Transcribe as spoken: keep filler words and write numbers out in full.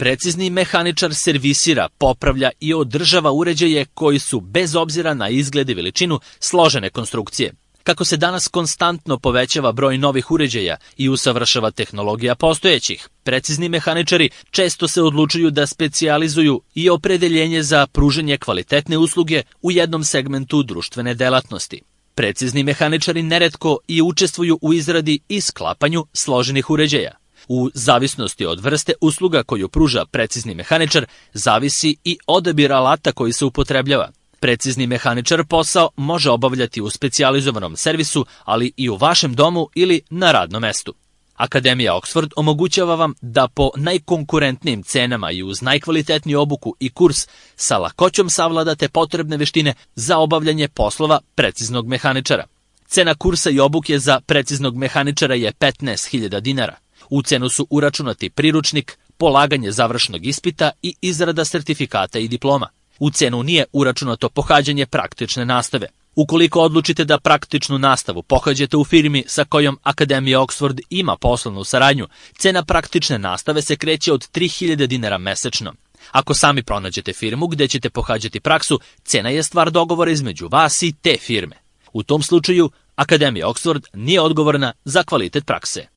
Precizni mehaničar servisira, popravlja i održava uređaje koji su, bez obzira na izgled i veličinu, složene konstrukcije. Kako se danas konstantno povećava broj novih uređaja i usavršava tehnologija postojećih, precizni mehaničari često se odlučuju da specijalizuju i opredeljenje za pružanje kvalitetne usluge u jednom segmentu društvene delatnosti. Precizni mehaničari neretko i učestvuju u izradi i sklapanju složenih uređaja. U zavisnosti od vrste usluga koju pruža precizni mehaničar, zavisi i odabir alata koji se upotrebljava. Precizni mehaničar posao može obavljati u specijalizovanom servisu, ali i u vašem domu ili na radnom mestu. Akademija Oxford omogućava vam da po najkonkurentnijim cenama i uz najkvalitetniju obuku i kurs sa lakoćom savladate potrebne veštine za obavljanje poslova preciznog mehaničara. Cena kursa i obuke za preciznog mehaničara je petnaest hiljada dinara. U cenu su uračunati priručnik, polaganje završnog ispita i izrada sertifikata i diploma. U cenu nije uračunato pohađanje praktične nastave. Ukoliko odlučite da praktičnu nastavu pohađate u firmi sa kojom Akademija Oxford ima poslovnu saradnju, cena praktične nastave se kreće od tri hiljade dinara mesečno. Ako sami pronađete firmu gde ćete pohađati praksu, cena je stvar dogovora između vas i te firme. U tom slučaju, Akademija Oxford nije odgovorna za kvalitet prakse.